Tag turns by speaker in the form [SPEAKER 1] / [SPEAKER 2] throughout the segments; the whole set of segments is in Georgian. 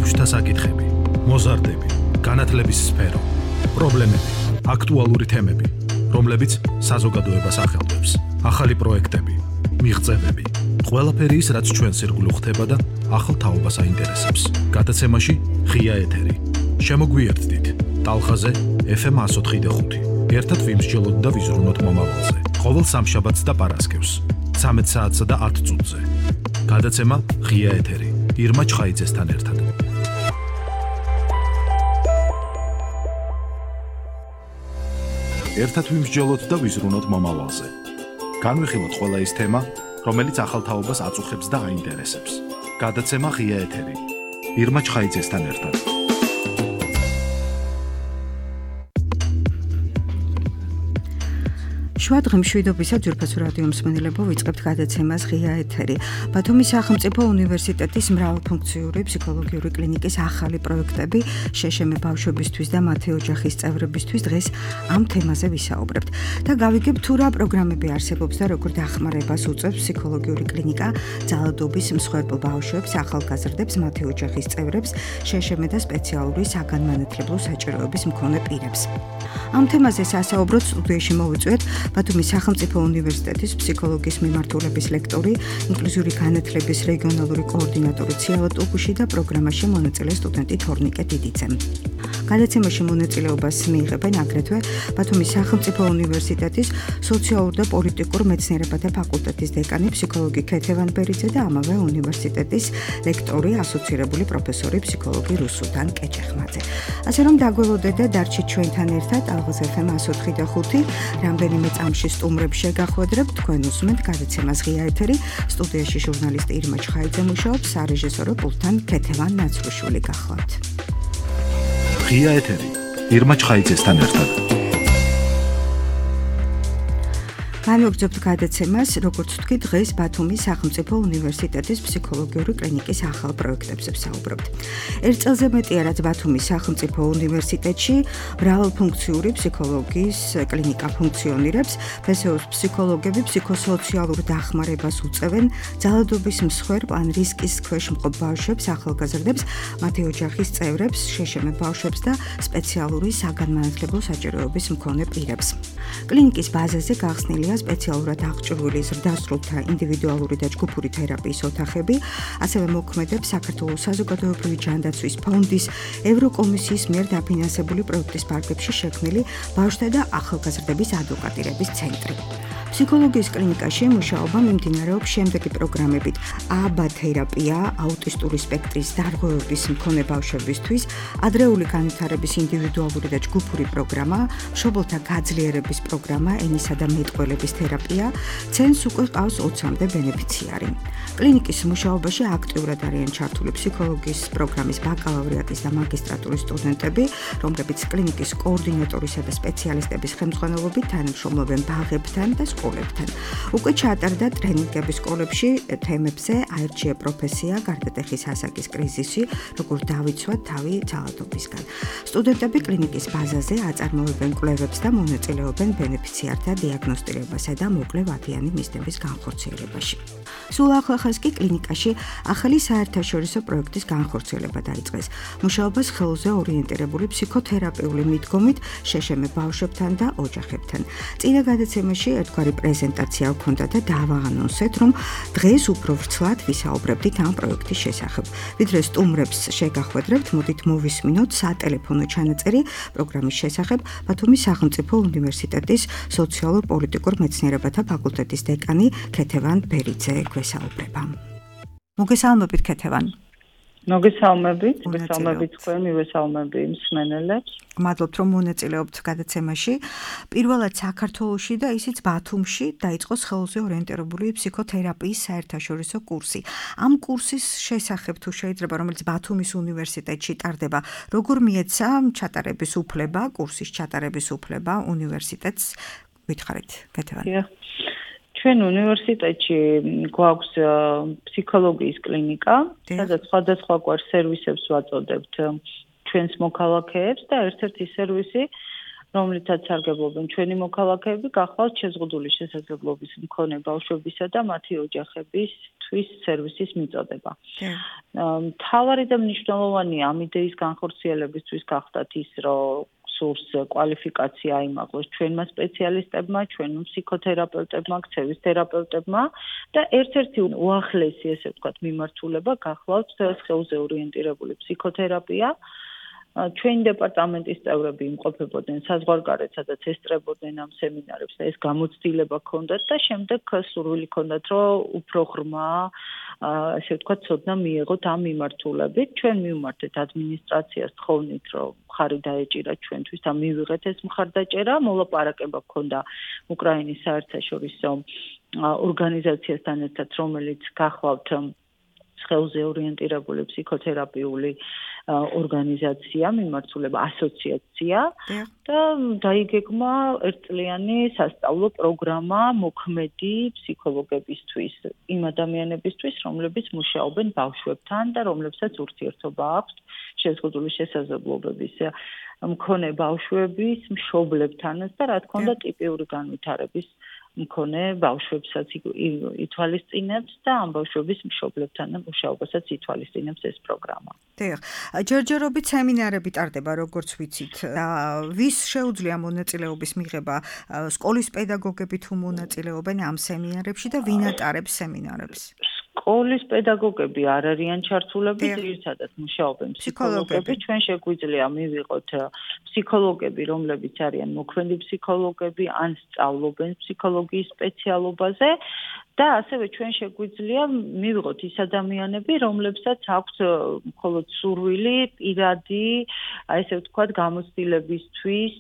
[SPEAKER 1] ბავშვთა საკითხები, მოზარდები, განათლების სფერო, პრობლემები, აქტუალური თემები, რომლებიც საზოგადოებას ახელვებს, ახალი პროექტები, მიღწევები, ყველაფერი ის, რაც ჩვენს ირგვლივ ხდება და ახალ თაობას აინტერესებს. გადაცემაში ღია ეთერი. შემოგვიერთდით ტალღაზე FM 104.5. ერთად ვიმსჯელოთ და ვიზრუნოთ მომავალზე. ყოველ სამშაბათს და პარასკევს 13 საათსა და 10 წუთზე. გადაცემა ღია ეთერი. ირმა ჩხაიძესთან ერთად. ერთად ვიმსჯელოთ და ვიზრუნოთ მომავალზე. განვიხილოთ ყველა ის თემა, რომელიც ახალ თაობას აწუხებს და აინტერესებს. გადაცემა ღია ეთერი. ირმა ჩხაიძესთან ერთად.
[SPEAKER 2] შუადღე მშვიდობისა ძვირფასო რადიო მსმენელებო, ვიწყებთ გადაცემას ღია ეთერი. ბათუმის სახელმწიფო უნივერსიტეტის მრავალფუნქციური ფსიქოლოგიური კლინიკის ახალი პროექტები შეშემე ბავშვებისთვის და მათი ოჯახის წევრებისთვის დღეს ამ თემაზე ვისაუბრებთ. და გავიგებ თუ რა პროგრამები არსებობს და როგორ დახმარებას უწევს ფსიქოლოგიური კლინიკა ძალადობის მსხვერპლ ბავშვებს, ახალგაზრდებს, მათი ოჯახის წევრებს, შეშემე და სპეციალური საგანმანათლებლო საჭიროების მქონე პირებს. ამ თემაზე სასაუბროდ სტუდიაში მოვიწვიეთ ბათუმის სახელმწიფო უნივერსიტეტის ფსიქოლოგიის მიმართულების ლექტორი, ინკლუზიური განათლების რეგიონალური კოორდინატორი ციალა ტუგუში და პროგრამაში მონაწილე სტუდენტი თორნიკე დიდიძე. გადაცემაში მონაწილეობას მიიღებენ აგრეთვე ბათუმის სახელმწიფო უნივერსიტეტის სოციალურ და პოლიტიკურ მეცნიერებათა ფაკულტეტის დეკანი ფსიქოლოგი ქეთევან ბერიძე და ამავე უნივერსიტეტის ლექტორი, ასოცირებული პროფესორი ფსიქოლოგი რუსუდან კეჭეხმაძე. ასე რომ დაგველოდეთ და დარჩით ჩვენთან ერთად ალღაზ FM 104.5 რამდენიმე წამში სტუმრებს შეგახვედრებთ, თქვენ უსმენთ გადაცემას ღია ეთერი. სტუდიაში ჟურნალისტი ირმა ჩხაიძე მუშაობს, სარეჟისორო პულტთან ქეთევან ნაცრუშვილი გახლავთ.
[SPEAKER 1] ღია ეთერი. ირმა ჩხაიძესთან ერთად.
[SPEAKER 2] განვაგრძობთ გადაცემას, როგორც ვთქვი, დღეს ბათუმის სახელმწიფო უნივერსიტეტის ფსიქოლოგიური კლინიკის ახალ პროექტებზე ვსაუბრობთ. ერთ წელზე მეტია, რაც ბათუმის სახელმწიფო უნივერსიტეტში მრავალფუნქციური ფსიქოლოგიის კლინიკა ფუნქციონირებს. ფსეოს ფსიქოლოგები ფსიქოსოციალურ დახმარებას უწევენ ძალადობის მსხვერპლ ან რისკის ქვეშ მყოფ ბავშვებს, ახალგაზრდებს, მათი ოჯახის წევრებს, შეშემე ბავშვებს და სპეციალური საგანმანათლებლო საჭიროების მქონე პირებს. კლინიკის ბაზაზე გახსნილია სპეციალურად აღჭურვილი ზრდასრულთა ინდივიდუალური და ჯგუფური თერაპიის ოთახები, ასევე მოქმედებს საქართველოს საზოგადოებრივი ჯანდაცვის ფონდის ევროკომისიის მიერ დაფინანსებული პროექტის პარკებში შექმნილი ბავშვთა და ახალგაზრდების ადვოკატირების ცენტრი. ფსიქოლოგიის კლინიკაში მუშაობა მიმდინარეობს შემდეგი პროგრამებით: აბა თერაპია, აუტისტური სპექტრის დარღვევების მქონე ბავშვებისთვის, ადრეული განვითარების ინდივიდუალური და ჯგუფური პროგრამა, მშობელთა გაძლიერების პროგრამა, ენისა და მეტყველების თერაპია, ცენტრს უკვე ყავს 20-მდე ბენეფიციარი. კლინიკის მუშაობაში აქტიურად არიან ჩართული ფსიქოლოგიის პროგრამის ბაკალავრიატის და მაგისტრატურის სტუდენტები, რომლებიც კლინიკის კოორდინატორისა და სპეციალისტების ხელმძღვანელობით თანამშრომლობენ ბაღებთან და სკოლებთან. უკვე ჩაატარდა ტრენინგები სკოლებში თემებზე აირჩია პროფესია, გარდატეხის ასაკის კრიზისი, როგორ დავიცვათ თავი ძალადობისგან. სტუდენტები კლინიკის ბაზაზე აწარმოებენ კვლევებს და მონაწილეობენ ბენეფიციართა დიაგნოსტირებასა და მოკლე ვადიანი მიზნების განხორციელებაში. სულ ახლახანს კი კლინიკაში ახალი საერთაშორისო პროექტის განხორციელება დაიწყეს. მუშაობას ხელზე ორიენტირებული ფსიქოთერაპიული მიდგომით შეშემე ბავშვებთან და ოჯახებთან. წინა გადაცემაში ერთგვარი პრეზენტაცია ჰქონდა და დავაანონსეთ, რომ დღეს უფრო ვრცლად ვისაუბრებდით ამ პროექტის შესახებ. ვიდრე სტუმრებს შეგახვედრებთ, მოდით მოვისმინოთ სატელეფონო ჩანაწერი პროგრამის შესახებ ბათუმის სახელმწიფო უნივერსიტეტის სოციალურ-პოლიტიკურ მეცნიერებათა ფაკულტეტის დეკანი ქეთევან ბერიძე გვესაუბრება. მოგესალმებით ქეთევან.
[SPEAKER 3] მოგესალმებით თქვენ, მივესალმები მსმენელებს.
[SPEAKER 2] მადლობთ, რომ მონაწილეობთ გადაცემაში. პირველად საქართველოში და ისიც ბათუმში დაიწყო ხელზე ორიენტირებული ფსიქოთერაპიის საერთაშორისო კურსი. ამ კურსის შესახებ თუ შეიძლება, რომელიც ბათუმის უნივერსიტეტში ტარდება, როგორ მიეცა ჩატარების უფლება, კურსის ჩატარების უფლება უნივერსიტეტს? ვითხარით, ქეთევან.
[SPEAKER 3] ჩვენ უნივერსიტეტში გვაქვს ფსიქოლოგიის კლინიკა, სადაც სხვადასხვაგვარ სერვისებს ვაწოდებთ ჩვენს მოქალაქეებს და ერთ-ერთი სერვისი, რომლითაც სარგებლობენ ჩვენი მოქალაქეები, გახლავთ შეზღუდული შესაძლებლობის მქონე ბავშვებისა და მათი ოჯახებისთვის. თვის სერვისის მიწოდება. მთავარი და მნიშვნელოვანი ამ იდეის განხორციელებისთვის გახდათ ის, რომ სურს კვალიფიკაცია აიმაღლოს ჩვენმა სპეციალისტებმა, ჩვენ ფსიქოთერაპევტებმა, ქცევის თერაპევტებმა და ერთ-ერთი უახლესი, ესე ვთქვათ, მიმართულება გახლავთ სხეულზე ორიენტირებული ფსიქოთერაპია. ჩვენი დეპარტამენტის წევრები იმყოფებოდნენ საზღვარგარეთ, სადაც ესწრებოდნენ ამ სემინარებს და ეს გამოცდილება ჰქონდათ და შემდეგ სურვილი ჰქონდათ, რომ უფრო ღრმა, ასე ვთქვათ, ცოდნა მიიღოთ ამ მიმართულებით. ჩვენ მივმართეთ ადმინისტრაციას თხოვნით, რომ მხარი დაეჭირა ჩვენთვის და მივიღეთ ეს მხარდაჭერა. მოლაპარაკება ჰქონდა უკრაინის საერთაშორისო ორგანიზაციასთან ერთად, რომელიც გახლავთ სხეულზე ორიენტირებული ფსიქოთერაპიული ორგანიზაცია, მიმართულება ასოციაცია და დაიგეგმა ერთწლიანი სასწავლო პროგრამა მოქმედი ფსიქოლოგებისთვის, იმ ადამიანებისთვის, რომლებიც მუშაობენ ბავშვებთან და რომლებსაც ურთიერთობა აქვთ შეზღუდული შესაძლებლობების მქონე ბავშვების მშობლებთანაც და რა თქმა უნდა ტიპიური განვითარების მქონე ბავშვებსაც ითვალისწინებს და ამ ბავშვების მშობლებთან მუშაობასაც ითვალისწინებს ეს პროგრამა.
[SPEAKER 2] დიახ. ჯერჯერობით სემინარები ტარდება, როგორც ვიცით. ვის შეუძლია მონაწილეობის მიღება? სკოლის პედაგოგები თუ მონაწილეობენ ამ სემინარებში და ვინ ატარებს სემინარებს?
[SPEAKER 3] სკოლის პედაგოგები არ არიან ჩართულები, ძირითადად მუშაობენ ფსიქოლოგები. ჩვენ შეგვიძლია მივიღოთ ფსიქოლოგები, რომლებიც არიან მოქმედი ფსიქოლოგები, ან სწავლობენ ფსიქოლოგიის სპეციალობაზე და ასევე ჩვენ შეგვიძლია მივიღოთ ის ადამიანები, რომლებსაც აქვთ მხოლოდ სურვილი პირადი, ესე ვთქვათ, გამოცდილებისთვის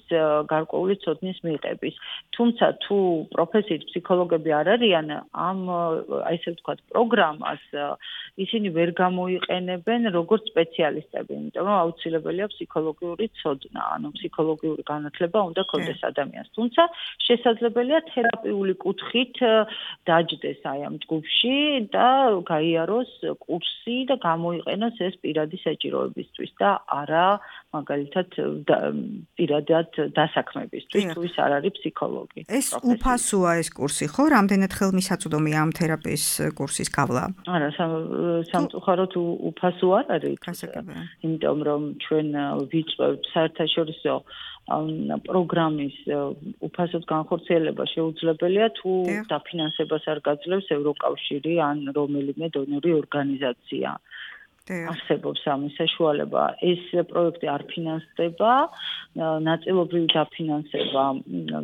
[SPEAKER 3] გარკვეული ცოდნის მიღების. თუმცა თუ პროფესიით ფსიქოლოგები არ არიან, ამ ესე ვთქვათ, პროგრამას ისინი ვერ გამოიყენებენ როგორც სპეციალისტები, იმიტომ რომ აუცილებელია ფსიქოლოგიური ცოდნა, ანუ ფსიქოლოგიური განათლება უნდა ჰქონდეს ადამიანს. თუმცა შესაძლებელია თერაპიული კუთხით დაჯდეს აი ამ ჯგუფში და გაიაროს კურსი და გამოიყენოს ეს პირადი საჭიროებისთვის და არა მაგალითად პირადად დასაქმებისთვის, თუ ის არ არის ფსიქოლოგი.
[SPEAKER 2] ეს უფასოა ეს კურსი, ხო? რამდენად ხელმისაწვდომია ამ თერაპიის კურსის გავლა?
[SPEAKER 3] არა, სამწუხაროდ უფასო არ არის. იმიტომ რომ ჩვენ ვიწვევთ საერთაშორისო პროგრამის უფასოდ განხორციელება შეუძლებელია თუ დაფინანსებას არ გაძლევს ევროკავშირი ან რომელიმე დონორი ორგანიზაცია. არსებობს ამის საშუალება. ეს პროექტი არ ფინანსდება, ნაწილობრივ დაფინანსება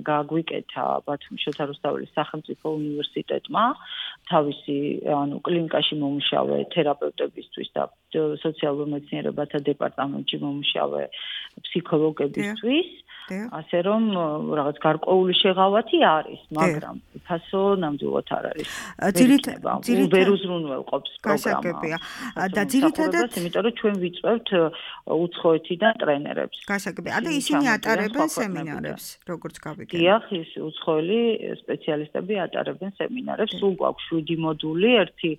[SPEAKER 3] გაგვიკეთა ბათუმის შოთა რუსთაველის სახელმწიფო უნივერსიტეტმა, თავისი კლინიკაში მომუშავე თერაპევტებისთვის და სოციალურ მეცნიერებათა დეპარტამენტში მომუშავე ფსიქოლოგებისთვის. ასე რომ რაღაც გარკვეული შეღავათი არის, მაგრამ უფასო ნამდვილად არ არის. ვერ უზრუნველყოფს პროგრამა.
[SPEAKER 2] და ძირითადად
[SPEAKER 3] იმიტომ რომ ჩვენ ვიწვევთ უცხოეთიდან ტრენერებს.
[SPEAKER 2] გასაგებია. და ისინი ატარებენ სემინარებს, როგორც გავიგე.
[SPEAKER 3] დიახ, ის უცხოელი სპეციალისტები ატარებენ სემინარებს. სულ გვაქვს 7 მოდული, ერთი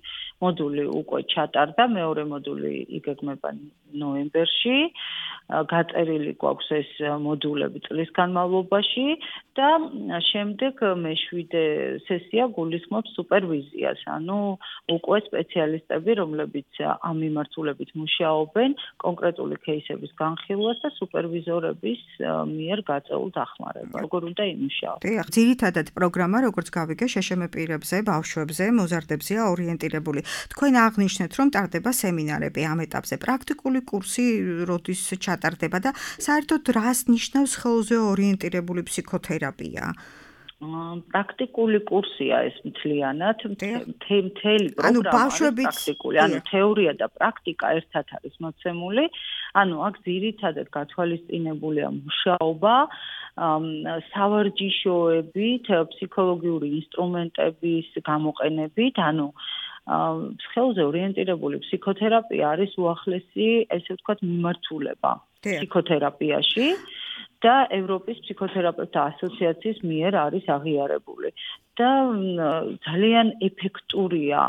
[SPEAKER 3] მოდული უკვე ჩატარდა, მეორე მოდული იგეგმება ნოემბერში. გაწერილი გვაქვს ეს მოდულები წლის განმავლობაში და შემდეგ მე-7 სესია გულისხმობს სუპერვიზიას, ანუ უკვე სპეციალისტები, რომლებიც ამ მიმართულებით მუშაობენ, კონკრეტული кейსების განხილვას და სუპერვიზორების მიერ გაწეულ დახმარებას. როგორ უნდა იმუშაოს?
[SPEAKER 2] დიახ, ძირითადად პროგრამა, როგორც გავიგე, შეშემე პირებზე, ბავშვებზე, მოზარდებზეა ორიენტირებული. თქვენ აღნიშნეთ, რომ ტარდება სემინარები ამ ეტაპზე. პრაქტიკული კურსი როდის ჩატარდება და საერთოდ რას ნიშნავს სხეულზე ორიენტირებული ფსიქოთერაპია?
[SPEAKER 3] პრაქტიკული კურსია ეს მთლიანად, მთელი პროგრამა არის პრაქტიკული, ანუ თეორია და პრაქტიკა ერთად არის მოცემული, ანუ აქ ძირითადად გათვალისწინებულია მუშაობა, სავარჯიშოებით, ფსიქოლოგიური ინსტრუმენტების გამოყენებით, ანუ სხეულზე ორიენტირებული ფსიქოთერაპია არის უახლესი, ესე ვთქვათ, მიმართულება ფსიქოთერაპიაში და ევროპის ფსიქოთერაპევტთა ასოციაციის მიერ არის აღიარებული და ძალიან ეფექტურია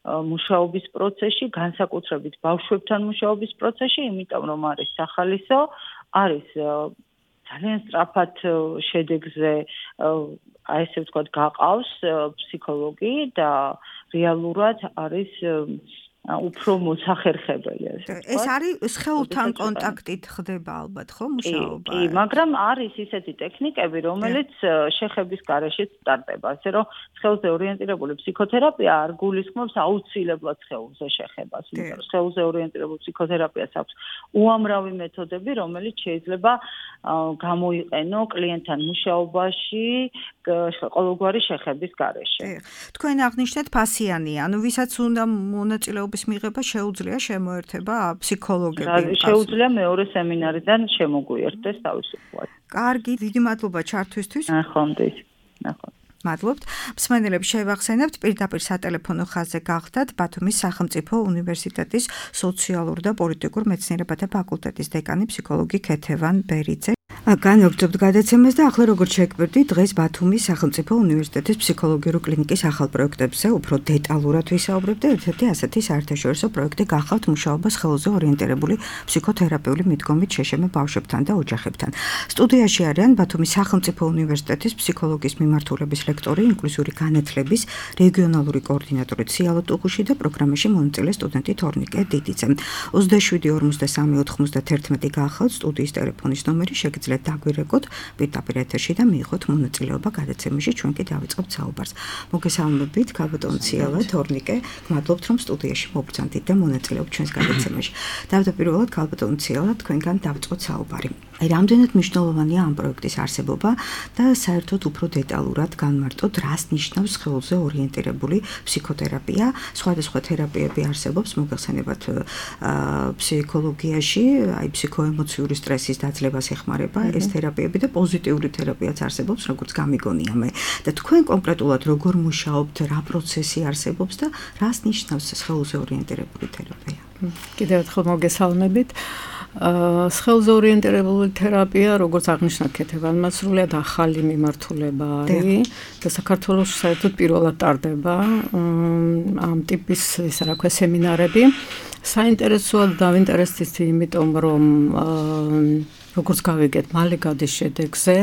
[SPEAKER 3] მუშაობის პროცესში, განსაკუთრებით ბავშვებთან მუშაობის პროცესში, იმიტომ რომ არის სახალისო, არის ძალიან სწრაფად შედეგზე, ესე ვთქვათ, გაყავს ფსიქოლოგი და რეალურად არის უფრო მოსახერხებელი
[SPEAKER 2] ეს არის სხეულთან კონტაქტით ხდება ალბათ ხო მუშაობა?
[SPEAKER 3] კი, მაგრამ არის ისეთი ტექნიკები, რომელიც შეხების გარეშეც სტარტდება, ასე რომ სხეულზე ორიენტირებული ფსიქოთერაპია არ გულისხმობს აუცილებლად სხეულზე შეხებას, იმიტომ რომ სხეულზე ორიენტირებულ ფსიქოთერაპიას აქვს უამრავი მეთოდები, რომელიც შეიძლება გამოიყენო კლიენტთან მუშაობაში ყოველგვარი შეხების გარეშე.
[SPEAKER 2] თქვენ აღნიშნეთ ფასიანია, ანუ ვისაც უნდა მონაწილეობის მიღება შეუძლია შემოერთება ფსიქოლოგები.
[SPEAKER 3] შეუძლია მეორე სემინარიდან შემოგვიერთდეს თავისუფლად.
[SPEAKER 2] კარგი, დიდი მადლობა ჩართვისთვის.
[SPEAKER 3] ნახვამდის.
[SPEAKER 2] მადლობთ. მსმენელებს შევახსენებთ, პირდაპირ სატელეფონო ხაზზე გახდათ ბათუმის სახელმწიფო უნივერსიტეტის სოციალურ და პოლიტიკურ მეცნიერებათა ფაკულტეტის დეკანი ფსიქოლოგი ქეთევან ბერიძე. განვაგრძობთ გადაცემას და ახლა როგორც შეგვიძლია დღეს ბათუმის სახელმწიფო უნივერსიტეტის ფსიქოლოგიური კლინიკის ახალ პროექტებზე უფრო დეტალურად ვისაუბრებთ და ერთ-ერთი ასეთი საერთაშორისო პროექტი გახავთ მუშაობა სხეულზე ორიენტირებული ფსიქოთერაპიული მიდგომით შეშემო ბავშვებთან და ოჯახებთან. სტუდიაში არიან ბათუმის სახელმწიფო უნივერსიტეტის ფსიქოლოგიის მიმართულების ლექტორი, ინკლუზიური განათლების რეგიონალური კოორდინატორი ციალო ტუღუში და პროგრამაში მონაწილე სტუდენტი თორნიკე დიდიძე. 27 გახავთ სტუდიის ტელეფონის ნომერი შეგიძლიათ დაგვირეკოთ პირდაპირ ეთერში და მიიღოთ მონაწილეობა გადაცემაში, ჩვენ კი დავიწყებთ საუბარს. მოგესალმებით, ქალბატონ ციალა, თორნიკე, გმადლობთ რომ სტუდიაში მობრძანდით და მონაწილეობთ ჩვენს გადაცემაში. თავდაპირველად ქალბატონ ციალა, თქვენგან დავიწყოთ საუბარი. რამდენად მნიშვნელოვანია ამ პროექტის არსებობა და საერთოდ უფრო დეტალურად განმარტოთ, რას ნიშნავს სხეულზე ორიენტირებული ფსიქოთერაპია. სხვადასხვა თერაპიები არსებობს, მოგეხსენებათ ფსიქოლოგიაში, აი ფსიქოემოციური სტრესის დაძლებას ეხმარება ეს თერაპიები და პოზიტიური თერაპიაც არსებობს, როგორც გამიგონია მე. და თქვენ კონკრეტულად როგორ მუშაობთ, რა პროცესი არსებობს და რას ნიშნავს სხეულზე ორიენტირებული თერაპია?
[SPEAKER 4] კიდევ ერთხელ მოგესალმებით. სხეულზე ორიენტირებული თერაპია, როგორც აღნიშნა ქეთევანმა, სრულიად ახალი მიმართულება არის და საქართველოში საერთოდ პირველად ტარდება ამ ტიპის, ისა რა ქვია, სემინარები. საინტერესოა დავინტერესდით, იმიტომ რომ როგორც გავიგეთ, მალე გადის შედეგზე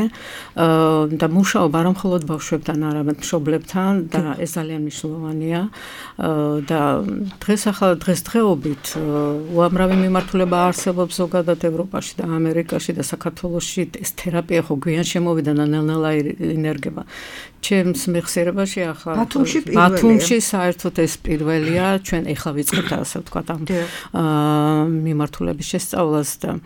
[SPEAKER 4] და მუშაობა არა მხოლოდ ბავშვებთან, არამედ მშობლებთან და ეს ძალიან მნიშვნელოვანია და დღესდღეობით უამრავი მიმართულება არსებობს ზოგადად ევროპაში და ამერიკაში და საქართველოში ეს თერაპია ხო გვიან შემოვიდა და ნელ-ნელა ინერგება. ჩემს მეხსიერებაში ახლა ბათუმში საერთოდ ეს პირველია, ჩვენ ეხლა ვიწყებთ ასე ვთქვათ ამ მიმართულების შესწავლას და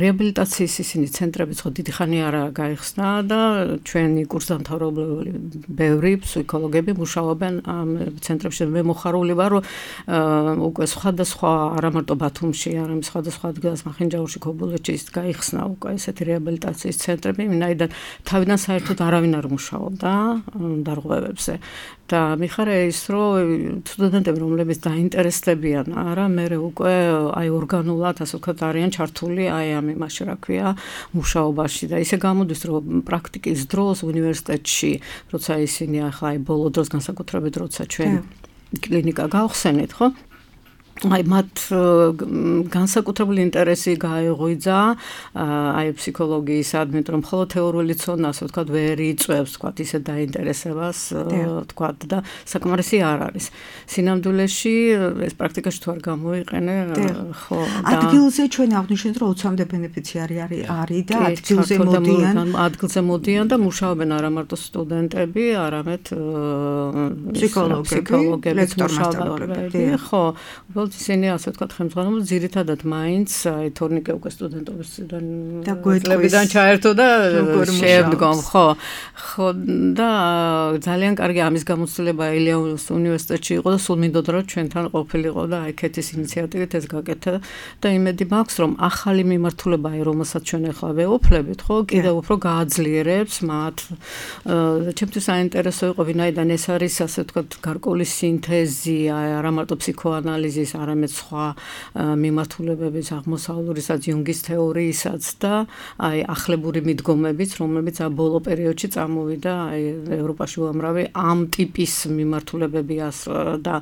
[SPEAKER 4] რეაბილიტაციის ისინი ცენტრებიც ხო დიდი ხანი არა გაიხსნა და ჩვენი კურსდამთავრებული ბევრი ფსიქოლოგები მუშაობენ ამ ცენტრებში. მე მოხარული ვარ, რომ უკვე სხვადასხვა არა მარტო ბათუმში, არამედ სხვადასხვა ადგილას, მახინჯაურში, ქობულეთში გაიხსნა უკვე ესეთი რეაბილიტაციის ცენტრები, ვინაიდან თავიდან საერთოდ არავინ არ მუშაობდა დარღვევებზე. და მიხარია ის, რომ სტუდენტები, რომლებიც დაინტერესდებიან, არა, მე უკვე აი ორგანულად, ასე ვთქვათ, არიან ჩართული აი ამ იმაში, რა ქვია, მუშაობაში და ისე გამოდის, რომ პრაქტიკის დროს უნივერსიტეტში, როცა ისინი ახლა აი ბოლო დროს განსაკუთრებით, როცა ჩვენ კლინიკა გავხსენეთ, ხო? აი მათ განსაკუთრებული ინტერესი გაეღვიძა აი ფსიქოლოგიის ადმით, რომ მხოლოდ თეორიული ცოდნა, ასე ვთქვათ, ვერ იწვევს, ვთქვათ, ისე დაინტერესებას, ვთქვათ, და საკმარისი არ არის. სინამდვილეში ეს პრაქტიკაში თუ არ გამოიყენე, ხო, და
[SPEAKER 2] ადგილზე ჩვენ აღნიშნეთ, რომ 20-მდე ბენეფიციარი არის და
[SPEAKER 4] ადგილზე მოდიან და მუშაობენ არა მარტო სტუდენტები, არამედ
[SPEAKER 2] ფსიქოლოგები,
[SPEAKER 4] ლექტორმასწავლებლები, ხო. ისინი ასე ვთქვათ, ხელმძღვანელობენ ძირითადად მაინც აი თორნიკე უკვე სტუდენტობისგან
[SPEAKER 2] და გვეტყვიდან
[SPEAKER 4] ჩაერთო და შემდგომ, ხო და ძალიან კარგი ამის გამოცდილება ელეონის უნივერსიტეტში იყო და სულ მინდოდა რომ ჩვენთან ყოფილიყო და აი ქეთის ინიციატივით ეს გაკეთა და იმედი მაქვს რომ ახალი მიმართულება აი რომელსაც ჩვენ ახლა ვეუფლებით, ხო, კიდევ უფრო გააძლიერებს მათ. ჩემთვის საინტერესო იყო ვინაიდან ეს არის ასე ვთქვათ გარკვეული სინთეზი, აი არა მარტო ფსიქოანალიზის არამედ სხვა მიმართულებების აღმოსავლურისაც იუნგის თეორიისაც და აი ახლებური მიდგომებიც, რომლებიც ბოლო პერიოდში წამოვიდა აი ევროპაში უამრავი ამ ტიპის მიმართულებები და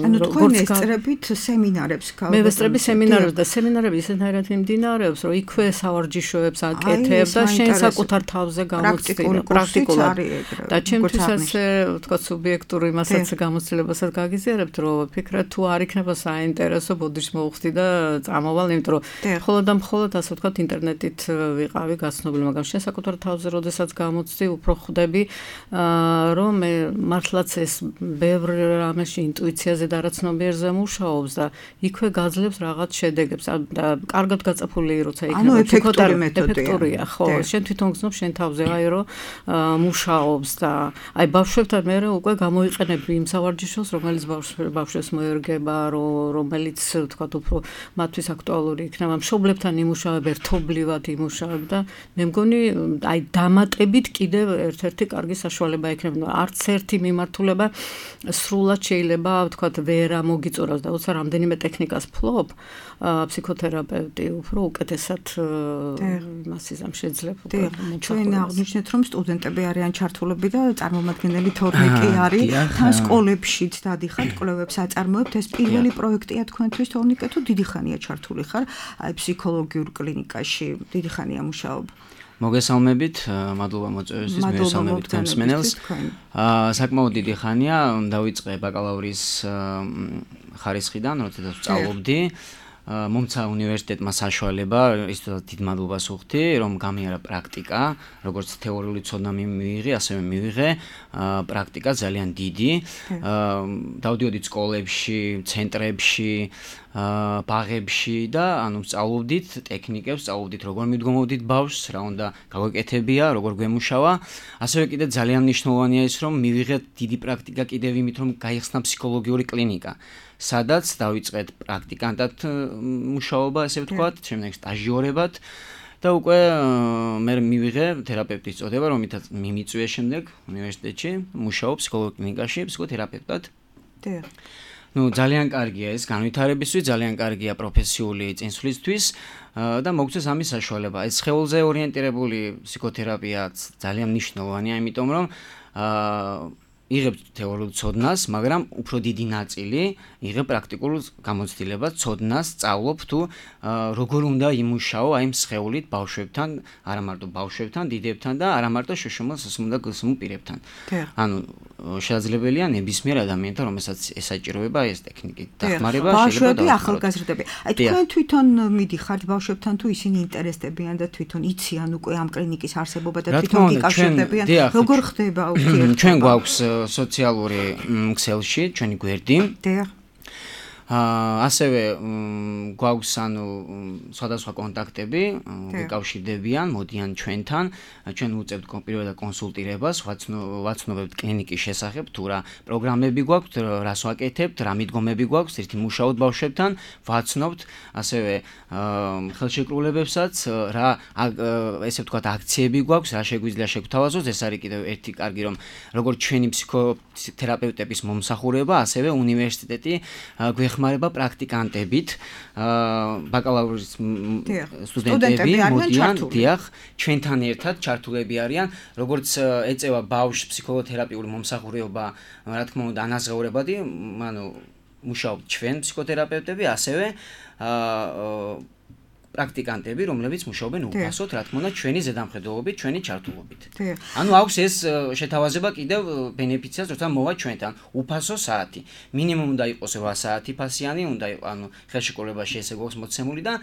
[SPEAKER 2] ანუ თქვენ ესწრებით სემინარებს გავაკეთებთ.
[SPEAKER 4] მე ვესწრები სემინარებს და სემინარები ისეთნაირად მიმდინარეობს, რომ იქვე სავარჯიშოებს აკეთებ და შენ საკუთარ თავზე გამოცდილ პრაქტიკულად და ჩემთვისაც თქვა სუბიექტური მასაც გამოცდილებასაც გაგიზიარებთ, რომ ვფიქრობ თუ არ იქნება საინტერესო ბოდიშს მოვხდი და წამოვალ, იმიტომ რომ მხოლოდ და მხოლოდ ასე ვთქვათ ინტერნეტით ვიყავი გაცნობილი, მაგრამ შენ საკუთარ თავზე როდესაც გამოცდი, უფრო ხვდები, რომ მე მართლაც ეს ბევრ რამეში ინტუიციაზე და არაცნობიერზე მუშაობს და იქვე გაძლევს რაღაც შედეგებს და კარგად გაწაფული როცა იქნება
[SPEAKER 2] ეფექტური მეთოდია.
[SPEAKER 4] ეფექტურია, ხო, შენ თვითონ გზნობ შენ თავზე აი რომ მუშაობს და აი ბავშვებთან მე უკვე გამოიყენებ იმ სავარჯიშოს, რომელიც ბავშვებს მოერგება, რომელიც ვთქვათ უფრო მათთვის აქტუალური იქნება. მშობლებთან იმუშავებ, ერთობლივად იმუშავებ და მე მგონი აი დამატებით კიდევ ერთ-ერთი კარგი საშუალება იქნება. არც ერთი მიმართულება სრულად შეიძლება ვთქვათ ვერ მოგიწურავს და უცებ რამდენიმე ტექნიკას ფლობ ფსიქოთერაპევტი უფრო უკეთესად მასიზამ შეიძლება.
[SPEAKER 2] ჩვენ აღნიშნეთ რომ სტუდენტები არიან ჩართულები და წარმომადგენელი თორნიკი არის. თან სკოლებშიც დადიხართ, კვლევებს აწარმოებთ. ეს პირველი პროექტია თქვენთვის თორნიკე თუ დიდი ხანია ჩართული ხარ აი ფსიქოლოგიურ კლინიკაში? დიდი ხანია მუშაობა.
[SPEAKER 5] მოგესალმებით, მადლობა მოწვევისთვის, მოგესალმებით მსმენელს. საკმაოდ დიდი ხანია, დავიწყე ბაკალავრის ხარისხიდან, როდესაც ვსწავლობდი. მომცა უნივერსიტეტმა საშუალება, ისედაც დიდ მადლობას ვუხდი, რომ გამიარა პრაქტიკა, როგორც თეორიული ცოდნა მივიღე, ასევე მივიღე პრაქტიკა ძალიან დიდი. დავდიოდი სკოლებში, ცენტრებში, ბაღებში და ანუ ვსწავლობდით ტექნიკებს, ვსწავლობდით როგორ მიდგომოვდით ბავშვს, რა უნდა გაგვეკეთებია, როგორ გვემუშავა. ასევე კიდე ძალიან მნიშვნელოვანია ის, რომ მივიღეთ დიდი პრაქტიკა კიდევ იმით, რომ გაიხსნა ფსიქოლოგიური კლინიკა. სადაც დავიწყეთ პრაქტიკანტად მუშაობა, ასე ვთქვათ, შემდეგ სტაჟიორებად და უკვე მე მივიღე თერაპევტის წოდება, რომელთაც მიმიწვია შემდეგ უნივერსიტეტში, მუშაობ ფსიქოლოგიურ კლინიკაში, ფსიქოთერაპევტად. ძალიან კარგია ეს განვითარებისთვის, ძალიან კარგია პროფესიული წინსვლისთვის და მოგწეს ამის საშუალება. ეს სხეულზე ორიენტირებული ფსიქოთერაპიაც ძალიან მნიშვნელოვანია, იმიტომ რომ იღებ თეორიულ ცოდნას, მაგრამ უფრო დიდი ნაწილი იღებ პრაქტიკულ გამოცდილებას, ცოდნას, სწავლობ თუ როგორ უნდა იმუშაო აი სხეულით ბავშვებთან, არა მარტო ბავშვებთან, დიდებთან და არა მარტო შშმ სმ და გსმ პირებთან. ანუ შესაძლებელია ნებისმიერ ადამიანთან, რომელსაც ესაჭიროება ეს ტექნიკით დახმარება,
[SPEAKER 2] ბავშვები, ახალგაზრდები. აი თქვენ თვითონ მიდიხართ ბავშვებთან თუ ისინი ინტერესდებიან და თვითონ იციან უკვე ამ კლინიკის არსებობა და თვითონ გიკავშირდებიან, როგორ ხდება ურთიერთობა?
[SPEAKER 5] ჩვენ გვაქვს სოციალური ქსელში ჩვენი გვერდი. ასევე გვაქვს ანუ სხვადასხვა კონტაქტები, გეკავშირდებიან, მოდიან ჩვენთან, ჩვენ უწევთ პირველად კონსულტირებას, ვაცნობებთ კლინიკის შესახებ, თუ რა პროგრამები გვაქვს, რას ვაკეთებთ, რა მიდგომები გვაქვს, ერთი მუშაობთ ბავშვებთან, ვაცნობთ, ასევე ხელშეკრულებებსაც, რა ესე ვთქვათ აქციები გვაქვს, რა შეგვიძლია შეგთავაზოთ, ეს არის კიდევ ერთი კარგი რომ როგორც ჩვენი ფსიქოთერაპევტების მომსახურება, ასევე უნივერსიტეტი გვეხმარება პრაქტიკანტებით, ბაკალავრის სტუდენტები მოდიან, დიახ, ჩვენთან ერთად ჩართულები არიან, როგორც ეწევა ბავშვს ფსიქოთერაპიული მომსახურება, რა თქმა უნდა, ანაზღაურებადი, ანუ მუშაობთ ჩვენ ფსიქოთერაპევტები, ასევე პრაქტიკანტები, რომლებიც მუშაობენ უფასოდ, რა თქმა უნდა, ჩვენი ზედამხედველობით, ჩვენი ჩართულობით. ანუ აქვს ეს შეთავაზება კიდევ ბენეფიციას, როცა მოვა ჩვენთან, უფასო საათი. მინიმუმ უნდა იყოს 8 საათი ფასიანი, უნდა იყოს, ანუ ხელშეკრულებაში ესე გვაქვს მოცემული და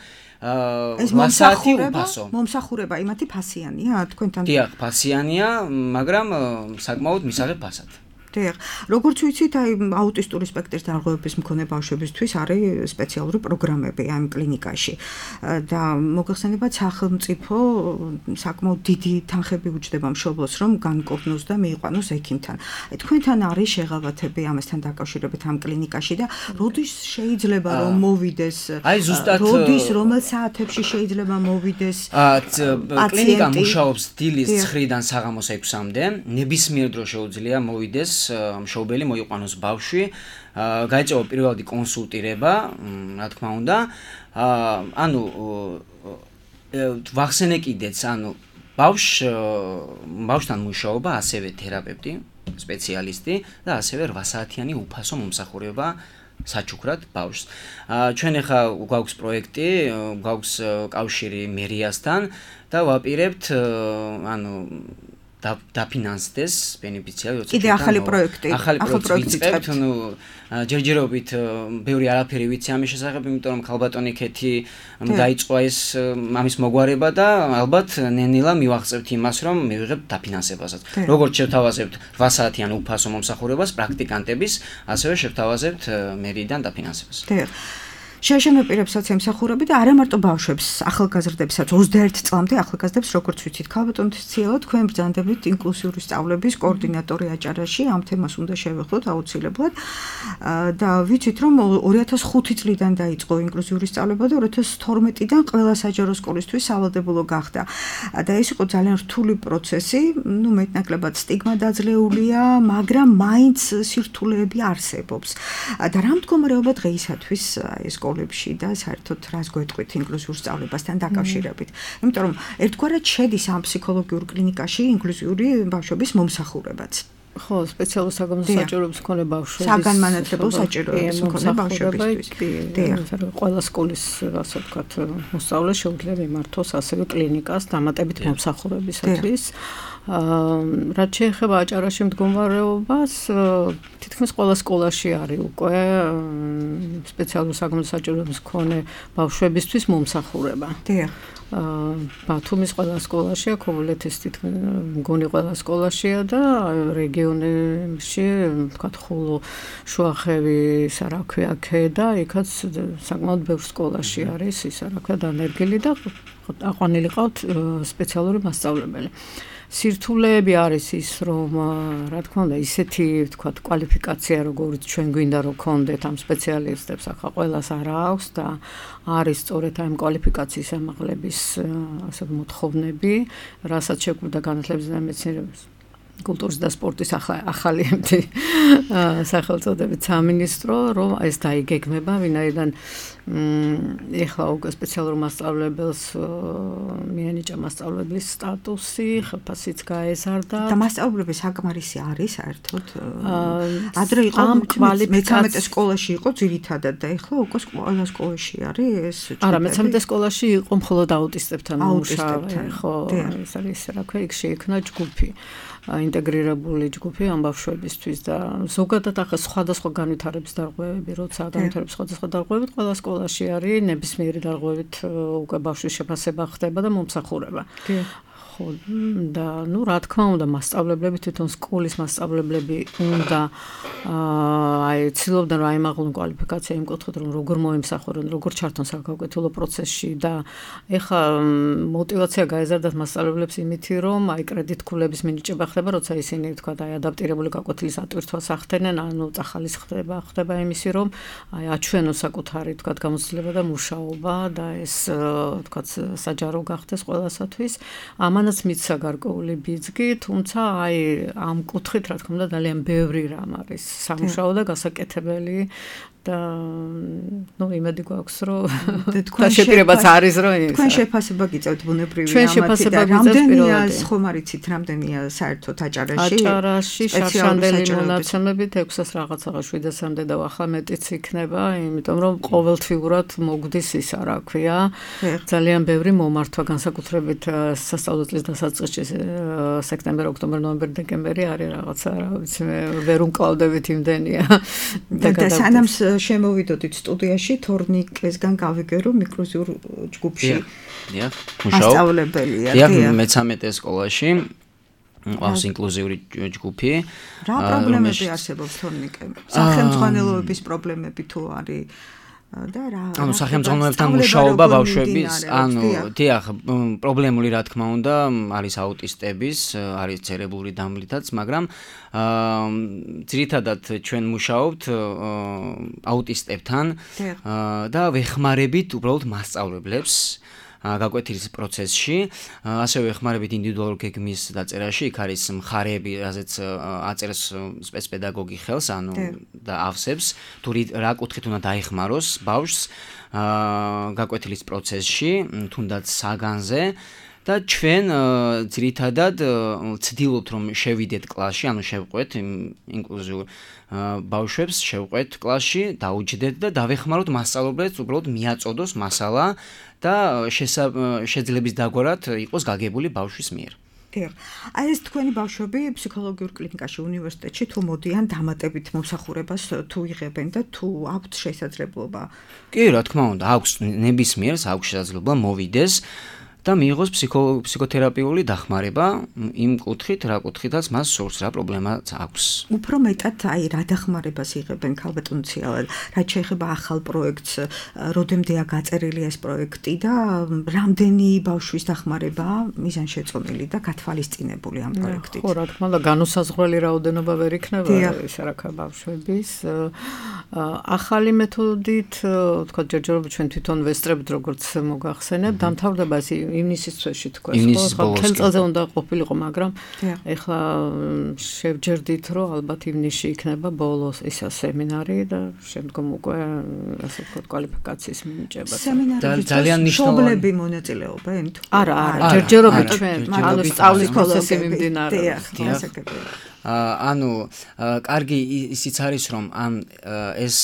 [SPEAKER 5] 8 საათი უფასო.
[SPEAKER 2] მომსახურება იმათი ფასიანია თქვენთან?
[SPEAKER 5] დიახ, ფასიანია, მაგრამ საკმაოდ მისაღებ ფასად.
[SPEAKER 2] როგორც ვიცით, აი აუტისტური სპექტრის დარღვევების მქონე ბავშვებისთვის არის სპეციალური პროგრამები ამ კლინიკაში და მოგეხსენებათ სახელმწიფო საკმაოდ დიდი თანხები უჯდება მშობლოს, რომ განკურნოს და მიიყვანოს ექიმთან. თქვენთან არის შეღავათები ამასთან დაკავშირებით ამ კლინიკაში და როდის შეიძლება რომ მოვიდეს?
[SPEAKER 5] აი ზუსტად
[SPEAKER 2] როდის რომელ საათებში შეიძლება მოვიდეს?
[SPEAKER 5] კლინიკა მუშაობს დილის 9-დან საღამოს 6-მდე, ნებისმიერ დროს შეუძლია მოვიდეს მშობელი მოიყვანოს ბავშვი, გაეწევა პირველადი კონსულტირება, რა თქმა უნდა. ანუ ვახსენე კიდეც, ანუ ბავშვთან მუშაობა, ასევე თერაპევტი, სპეციალისტი და ასევე 8 საათიანი უფასო მომსახურება საჩუქრად ბავშვს. ჩვენ ახლა გვაქვს პროექტი, გვაქვს კავშირი მერიასთან და ვაპირებთ ანუ დაფინანსდეს ბენეფიციარი, როცა
[SPEAKER 2] კიდე ახალი პროექტი
[SPEAKER 5] ვიწყებთ, ну ჯერჯერობით ბევრი არაფერი ვიცი ამის შესახებ, იმიტომ რომ ქალბატონი ქეთი დაიწყო ეს ამის მოგვარება და ალბათ ნენილა მივახცევთ იმას, რომ მივიღებთ დაფინანსებასაც. როგორც შევთავაზებთ 8 საათიან უფასო მომსახურებას პრაქტიკანტების, ასევე შევთავაზებთ მერიიდან დაფინანსებას.
[SPEAKER 2] შეშემეპირებსაც ემსახურები და არა მარტო ბავშვებს, ახალგაზრდებსაც, 21 წლამდე ახალგაზრდებს, როგორც ვიცით, ქალბატონის ცილა თქვენ ბრძანდებით ინკლუზიური სწავლების კოორდინატორი აჭარაში, ამ თემას უნდა შევეხოთ აუცილებლად. და ვიცით, რომ 2005 წლიდან დაიწყო ინკლუზიური სწავლება და 2012-დან ყველა საჯარო სკოლისთვის სავალდებულო გახდა. და ეს იყო ძალიან რთული პროცესი, ну მეტნაკლებად სტიგმა დაძლეულია, მაგრამ მაინც სირთულეები არსებობს. და რა მდგომარეობა დღეისათვის ეს სკოლებში და საერთოდ რას გვეტყვით ინკლუზიურ სწავლებასთან დაკავშირებით. იმიტომ რომ ერთგვარად შედის ამ ფსიქოლოგიურ კლინიკაში ინკლუზიური ბავშვების მომსახურებაც.
[SPEAKER 4] ხო, სპეციალურ საგამოძიებო საჭიროებს მქონე ბავშვების
[SPEAKER 2] საგანმანათლებლო საჭიროებს მქონე ბავშვებისთვის.
[SPEAKER 4] ყველა სკოლის, ასე ვთქვათ, მოსწავლე შეუძლია მიმართოს ასევე კლინიკას დამატებით მომსახურებისათვის. რაც შეეხება აჭარაში მდგომარეობას, თითქმის ყველა სკოლაში არის უკვე სპეციალურ საგამოძიებო საჭიროებს მქონე ბავშვებისთვის მომსახურება. ბათუმის ყველა სკოლაშია, ქობულეთის მგონი ყველა სკოლაშია და რეგიონებში, ვთქვათ, ხულო, შუახევი, სარაქვია, ქედა, იქაც საკმაოდ ბევრ სკოლაში არის ის სარაქვია დანერგილი და აყვანილი ყავთ სპეციალური მასწავლებელი. სირთულეები არის ის, რომ რა თქმა უნდა, ისეთი, ვთქვათ, კვალიფიკაცია, როგორც ჩვენ გვინდა რომ გქონდეთ ამ სპეციალისტებს, ახლა ყველას არ აქვს და არის სწორედ ამ კვალიფიკაციის ამაღლების ასე მოთხოვნები, რასაც შეგვიძლია განათლების და მეცნიერების კულტურის და სპორტის ახალი სახელწოდებით სამინისტრო, რომ ეს დაიგეგმება, ვინაიდან ეხლა უკვე სპეციალურ მასწავლებელს მიენიჭა მასწავლებლის სტატუსი, ხელფასიც გაეზარდა.
[SPEAKER 2] და მასწავლებელი საკმარისი არის საერთოდ. ადრე იყო 13 სკოლაში იყო ძირითადად და ეხლა უკვე ყველა სკოლაში არის ეს.
[SPEAKER 4] არა, 13 სკოლაში იყო მხოლოდ აუტისტებთან მუშაობა. ხო, ეს არის რა ქვია, იქ შეიქმნა ჯგუფი. ინტეგრირებული ჯგუფი ამ ბავშვებისთვის და ზოგადად ახლა სხვადასხვა განვითარების დარღვევები, როცა განვითარების სხვადასხვა დარღვევებით ყველა სკოლაში არის ნებისმიერი დარღვევით უკვე ბავშვის შეფასება ხდება და მომსახურება. ხო და ну რა თქმა უნდა მასწავლებლები თვითონ სკოლის მასწავლებლები უნდა აი ცდილობდნენ რომ აიმაღლონ კვალიფიკაცია იმ კუთხით რომ როგორ მოემსახურონ, როგორ ჩართონ საკავკეთილო პროცესში და ეხა мотиваცია გაეზარდათ მასწავლებლებს იმითი რომ აი კრედიტქულების მინიჭება ხდება, როცა ისინი თქვა აი ადაპტირებული გაკვეთილის ატვირთვას ახდენენ, ანუ წახალის ხდება იმისი რომ აი აჩვენოს საკუთარი თქვა გამოცდილება და მუშაობა და ეს თქვა საჯარო გახდეს ყველასათვის. ამანაც მიცა გარკვეული ბიძგი, თუმცა აი ამ კუთხით რა თქმა უნდა ძალიან ბევრი რამ არის სამუშაო და გასაკეთებელი და ну იმედი გვაქვს რომ თქვენ შეფასებაც არის რომ
[SPEAKER 2] თქვენ შეფასება გიწევთ ბუნებრივი ამათი და რამდენია ხომ არიცით რამდენია საერთოდ აჭარაში
[SPEAKER 4] შარშანდელი მონაცემებით 600 რაღაცაა 700-მდე და ახლა მეტიც იქნება, იმიტომ რომ ყოველთვიურად მოგდის ისა რა ქვია ძალიან ბევრი მომართვა განსაკუთრებით სასწავლო წლის დასაწყისში სექტემბერ, ოქტომბერ, ნოემბერ, დეკემბერი არის რაღაცა რა ვიცი მე ვერ უმკლავდებით იმდენია
[SPEAKER 2] და სანამ შემოვიდოდით სტუდიაში თორნიკესგან გავიგერო ინკლუზიურ ჯგუფში.
[SPEAKER 5] დიახ,
[SPEAKER 2] მასწავლებელია.
[SPEAKER 5] დიახ, მე-13 სკოლაში ყავს ინკლუზიური ჯგუფი.
[SPEAKER 2] რა პრობლემები არსებობს თორნიკე? სახელმძღვანელოების პრობლემები თუ არის და რა
[SPEAKER 5] ანუ სახელმძღვანელოებთან მუშაობა ბავშვების, ანუ დიახ, პრობლემული რა თქმა უნდა არის აუტისტების, არის ცერებრული დამლითაც, მაგრამ ძირითადად ჩვენ მუშაობთ აუტისტებთან და ვეხმარებით უბრალოდ მასწავლებლებს გაკვეთილის პროცესში, ასევე ეხმარებით ინდივიდუალურ გეგმის დაწერაში, იქ არის მხარეები, რაზეც აწერს სპეცპედაგოგი ხელს, და ავსებს, თუ რა კუთხით უნდა დაეხმაროს ბავშვს გაკვეთილის პროცესში, თუნდაც საგანზე და ჩვენ ძირითადად ვცდილობთ რომ შევიდეთ კლასში, ანუ შევყვეთ ინკლუზიურ ბავშვებს, შევყვეთ კლასში, დაუჯდეთ და დავეხმაროთ მასწავლებლებს, უბრალოდ მიაწოდოს მასალა და შეძლების დაგვარად იყოს გაგებული ბავშვის მიერ.
[SPEAKER 2] აი ეს თქვენი ბავშვები ფსიქოლოგიურ კლინიკაში უნივერსიტეტში თუ მოდიან დამატებით მომსახურებას თუ იღებენ და თუ აქვთ შესაძლებლობა?
[SPEAKER 5] კი, რა თქმა უნდა, აქვს ნებისმიერს აქვს შესაძლებლობა მოვიდეს და მიიღოს ფსიქოთერაპიული დახმარება იმ კუთხით, რა კუთხითაც მას სურს, რა პრობლემაც აქვს.
[SPEAKER 2] უფრო მეტად აი რა დახმარებას იღებენ ქალბატონციალად, რაც შეეხება ახალ პროექტს, როდემდეა გაწერილი ეს პროექტი და რამდენი ბავშვის დახმარება მიზანშეწონილი და გათვალისწინებული ამ პროექტით?
[SPEAKER 4] ხო, რა თქმა უნდა, განუსაზღვრელი რაოდენობა ვერ იქნება ეს რაკა ბავშვების. ახალი მეთოდით, თქვა ჯერჯერობით ჩვენ თვითონ ვესწრებთ, როგორც მოგახსენებთ, დამთავრდება ეს ივნისის თვეში თქვა, ხო, ხელწელზე უნდა ყოფილიყო, მაგრამ ეხლა შევჯერდით, რომ ალბათ ივნისში იქნება ბოლოს ისა სემინარი და შემდგომ უკვე ასე ვთქვათ კვალიფიკაციის მინიჭება.
[SPEAKER 5] ძალიან
[SPEAKER 2] მნიშვნელოვანი მონაწილეობენ თუ?
[SPEAKER 4] არა, ჯერჯერობით ჩვენ, ანუ სწავლის პროცესი მიმდინარეობს.
[SPEAKER 5] ანუ კარგი ისიც არის, რომ ეს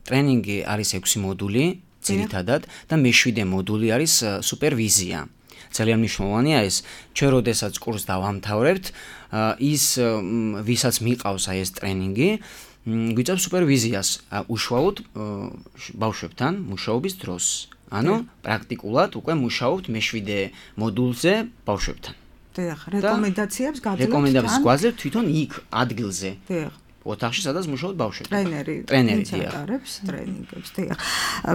[SPEAKER 5] ტრენინგი არის 6 მოდული ძირითადად და მე-7 მოდული არის სუპერვიზია. ძალიან მნიშვნელოვანია ეს, ჩვენ როდესაც კურსს დავამთავრებთ, ის ვისაც მიყავს აი ეს ტრენინგი, გვიწევს სუპერვიზიას უშუალოდ ბავშვებთან მუშაობის დროს. ანუ პრაქტიკულად უკვე მუშაობთ მე-7 მოდულზე ბავშვებთან.
[SPEAKER 2] დიახ, რეკომენდაციებს გაძლევთ?
[SPEAKER 5] რეკომენდაციებს გვაძლევთ თვითონ იქ ადგილზე. დიახ. ოთახში სადაც მუშაობთ ბავშვები. ტრენერი
[SPEAKER 2] ატარებს ტრენინგებს, დიახ.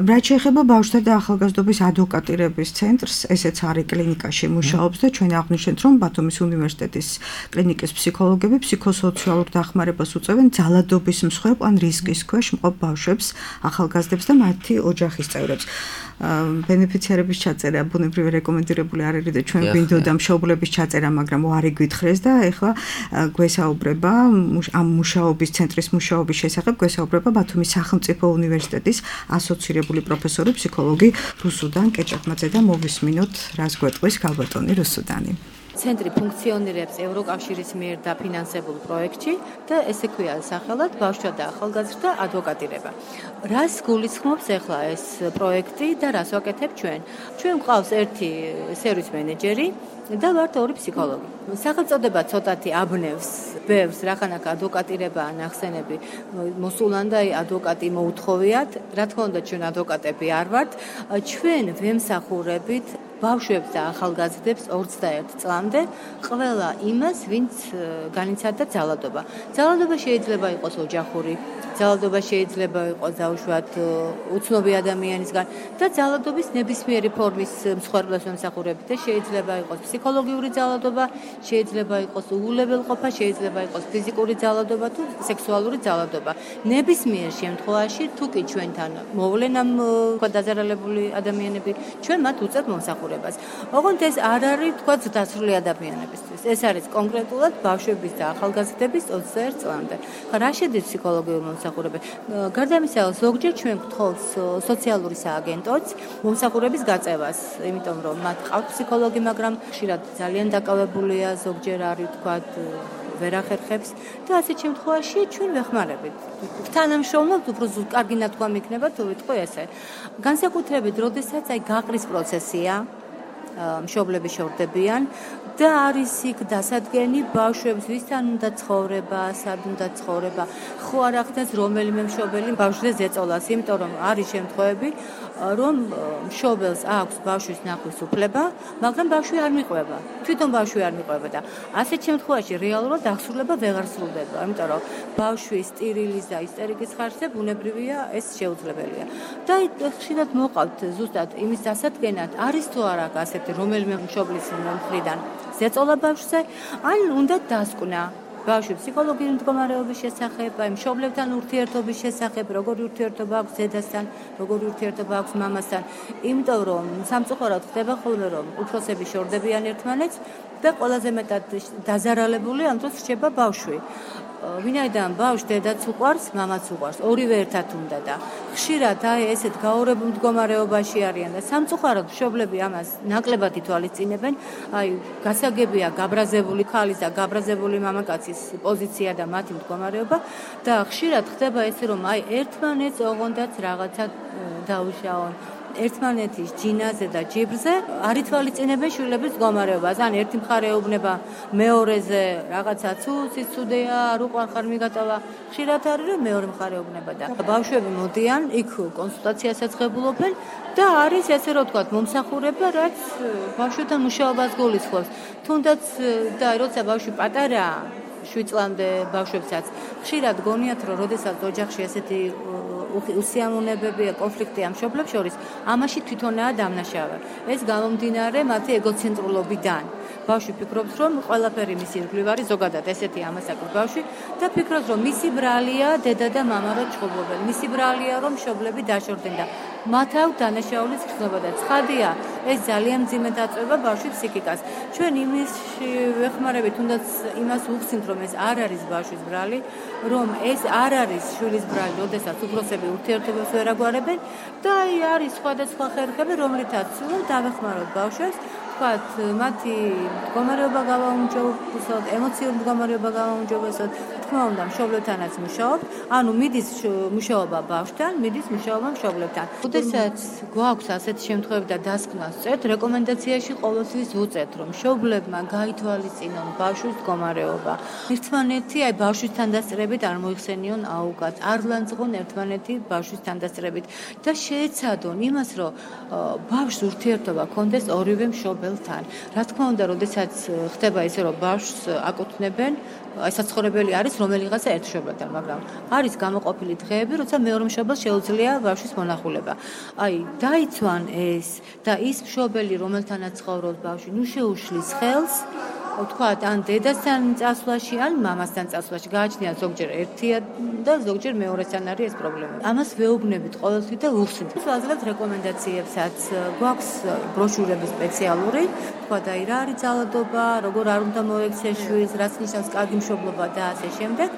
[SPEAKER 2] რაც შეეხება ბავშვთა და ახალგაზრდობის ადვოკატირების ცენტრს, ესეც არის კლინიკაში მუშაობს და ჩვენ აღვნიშნეთ, რომ ბათუმის უნივერსიტეტის კლინიკის ფსიქოლოგები ფსიქოსოციალურ დახმარებას უწევენ ძალადობის მსხვერპლ ან რისკის ქვეშ მყოფ ბავშვებს, ახალგაზრდებს და მათი ოჯახის წევრებს. ბენეფიციარების ჩაწერა ბუნებრივი რეკომენდირებული არ არის და ჩვენ გვინდოდა მშობლების ჩაწერა, მაგრამ უარი გვითხრეს და ეხლა გვესაუბრება ამ მუშაობის ცენტრის მუშაობის შესახებ გვესაუბრება ბათუმის სახელმწიფო უნივერსიტეტის ასოცირებული პროფესორი ფსიქოლოგი რუსუდან კეჭაკმაძე და მოვისმინოთ რას გვეტყვის ქალბატონი რუსუდანი.
[SPEAKER 6] ცენტრი ფუნქციონირებს ევროკავშირის მიერ დაფინანსებულ პროექტში და ესე ქვია სახელად ბავშვთა და ახალგაზრდთა ადვოკატირება. რას გულისხმობს ახლა ეს პროექტი და რას ვაკეთებ ჩვენ? ჩვენ გვყავს ერთი სერვის მენეჯერი და ვართ 2 ფსიქოლოგი. სახელწოდება ცოტათი აბნევს, ბევრს, რახანაკ ადვოკატირებაა ნახსენები მოსულან და ადვოკატი მოუთხოვიათ. რა თქმა უნდა, ჩვენ ადვოკატები არ ვართ. ჩვენ ვემსახურებით ბავშვებს და ახალგაზრდებს 21 წლამდე ყველა იმას, ვინც განიცადა ძალადობა. ძალადობა შეიძლება იყოს ოჯახური, ძალადობა შეიძლება იყოს დაუშვათ უცნობი ადამიანისგან და ძალადობის ნებისმიერი ფორმის მსხვერპლებს ვემსახურებით და შეიძლება იყოს ფსიქოლოგიური ძალადობა, შეიძლება იყოს უულებელყოფა, შეიძლება იყოს ფიზიკური ძალადობა თუ სექსუალური ძალადობა. ნებისმიერ შემთხვევაში თუ კი ჩვენთან მოვლენ ამ დაზარალებული ადამიანები, ჩვენ მათ უწევთ მომსახურებას. ოღონდ ეს არ არის თქვა დასრული ადამიანებისთვის. ეს არის კონკრეტულად ბავშვების და ახალგაზრდების 21 წლამდე. რა შედის ფსიქოლოგიურ მომსახურებაში? გარდა ამისა, ზოგჯერ ჩვენ გვთხოვთ სოციალური სააგენტოც მომსახურების გაწევას, იმიტომ რომ მათ ყავთ ფსიქოლოგი, მაგრამ ხშირად ძალიან დაკავებულია, ზოგჯერ არის თქვა ვერ ახერხებს და ასეთ შემთხვევაში ჩვენ ვეხმარებით. თანამშრომლობთ, უფრო კარგი ნათქვამი იქნება თუ ვიტყვი ესე. განსაკუთრებით, როდესაც აი გაყრის პროცესია, მშობლები შორდებიან და არის იქ დასადგენი ბავშვებს, ვისთან უნდა ცხოვრება, სად უნდა ცხოვრება. ხო არ ახდენს რომელიმე მშობელი ბავშვზე ზეწოლას, იმიტომ რომ არის შემთხვევები, რომ მშობელს აქვს ბავშვის ნახვის უფლება, მაგრამ ბავშვი არ მიყვება. თვითონ ბავშვი არ მიყვება და ასეთ შემთხვევაში რეალურად აღსრულება ვეღარ სრულდება, იმიტომ რომ ბავშვის სტერილის და ისტერიკის ხარჯზე ბუნებრივია ეს შეუძლებელია. და ხშირად მოყავთ ზუსტად იმის დასადგენად, არის თუ არა ასეთი რომელიმე მშობლის მხრიდან ზეწოლა ბავშვზე, ან უნდა დასკვნა. ბავშვი ფსიქოლოგიური მდგომარეობის შესახებ, აი მშობლებთან ურთიერთობის შესახებ, როგორი ურთიერთობა აქვს დედასთან, როგორი ურთიერთობა აქვს მამასთან, იმიტომ რომ სამწუხაროდ ხდება ხოლმე რომ უფროსები შორდებიან ერთმანეთს და ყველაზე მეტად დაზარალებული ამ დროს რჩება ბავშვი. ვინაიდან ბავშვს დედაც უყვარს, მამაც უყვარს, ორივე ერთად უნდა და ხშირად აი ესეთ გაორებულ მდგომარეობაში არიან და სამწუხაროდ მშობლები ამას ნაკლებად ითვალისწინებენ, აი გასაგებია გაბრაზებული ქალის და გაბრაზებული მამაკაცის პოზიცია და მათი მდგომარეობა და ხშირად ხდება ესე რომ აი ერთმანეთს ოღონდაც რაღაცა დაუშაონ ერთმანეთის ჯინაზე და ჯიბრზე არ ითვალისწინებენ შვილების მდგომარეობას. ან ერთი მხარე ეუბნება მეორეზე რაღაცა ცუცის ცუდია, არ უყვარ ხარ მიგატოვა. ხშირად არის რომ მეორე მხარე ეუბნება და ბავშვები მოდიან, იქ კონსულტაციასაც ღებულობენ და არის ესე რომ ვთქვათ მომსახურება, რაც ბავშვთან მუშაობას გულისხმობს. თუნდაც და როცა ბავშვი პატარაა 7 წლამდე ბავშვებსაც ხშირად გონიათ რომ როდესაც ოჯახში ესეთი უსიამოვნებებია, კონფლიქტია მშობლებს შორის, ამაში თვითონაა დამნაშავე. ეს გამომდინარე მათი ეგოცენტრულობიდან. ბავშვი ფიქრობს, რომ ყველაფერი მისი ირგვლივ არის, ზოგადად ესეთი ამას აქვს ბავშვი და ფიქრობს, რომ მისი ბრალია დედა და მამა რო ჩხუბობენ. მისი ბრალია რომ მშობლები დაშორდნენ და მათ აქვს დანაშაულის გრძნობა და ცხადია, ეს ძალიან მძიმედ აწვევა ბავშვის ფსიქიკას. ჩვენ იმის ვეხმარებით, თუნდაც იმას ვუხსნით, რომ ეს არ არის ბავშვის ბრალი, რომ ეს არ არის შვილის ბრალი, როდესაც უფროსები ურთიერთობებს ვერ აგვარებენ და აი არის სხვადასხვა ხერხები, რომლითაც დავეხმაროთ ბავშვებს, ვთქვათ, მათი მდგომარეობა გავაუმჯობესოთ, ემოციური მდგომარეობა გავაუმჯობესოთ, თქმა უნდა, მშობლებთანაც მუშაობ, ანუ მიდის მუშაობა ბავშვთან, მიდის მუშაობა მშობლებთან. როდესაც გვაქვს ასეთი შემთხვევები და დასკვნას ვწერთ, რეკომენდაციაში ყოველთვის ვუწევთ, რომ მშობლებმა გაითვალისწინონ ბავშვის მდგომარეობა. ერთმანეთი აი ბავშვის თანდასწრებით არ მოიხსენიონ აუგად, არ ლანძღონ ერთმანეთი ბავშვის თანდასწრებით და შეეცადონ იმას, რომ ბავშვს ურთიერთობა ჰქონდეს ორივე მშობელთან. რა თქმა უნდა, როდესაც ხდება ისე, რომ ბავშვს აკუთვნებენ, აი საცხოვრებელი არის რომელიღაცა ერთ მშობელთან, მაგრამ არის გამოყოფილი დღეები, როცა მეორე მშობელს შეუძლია ბავშვის მონახულება. აი დაიცვან ეს და ის მშობელი, რომელთანაც ცხოვრობს ბავშვი, ნუ შეუშლის ხელს ვთქვათ, ან დედასთან წასვლაში, ან მამასთან წასვლაში. გააჩნია ზოგჯერ ერთია და ზოგჯერ მეორესთან არის ეს პრობლემა. ამას ვეუბნებით ყოველთვის და ვუხსნით. ვაძლევთ რეკომენდაციებსაც. გვაქვს ბროშურები სპეციალური, ვთქვათ, აი რა არის ძალადობა, როგორ არ უნდა მოექცეს შვილს, რაც ნიშნავს კარგი მშობლობა და ასე შემდეგ.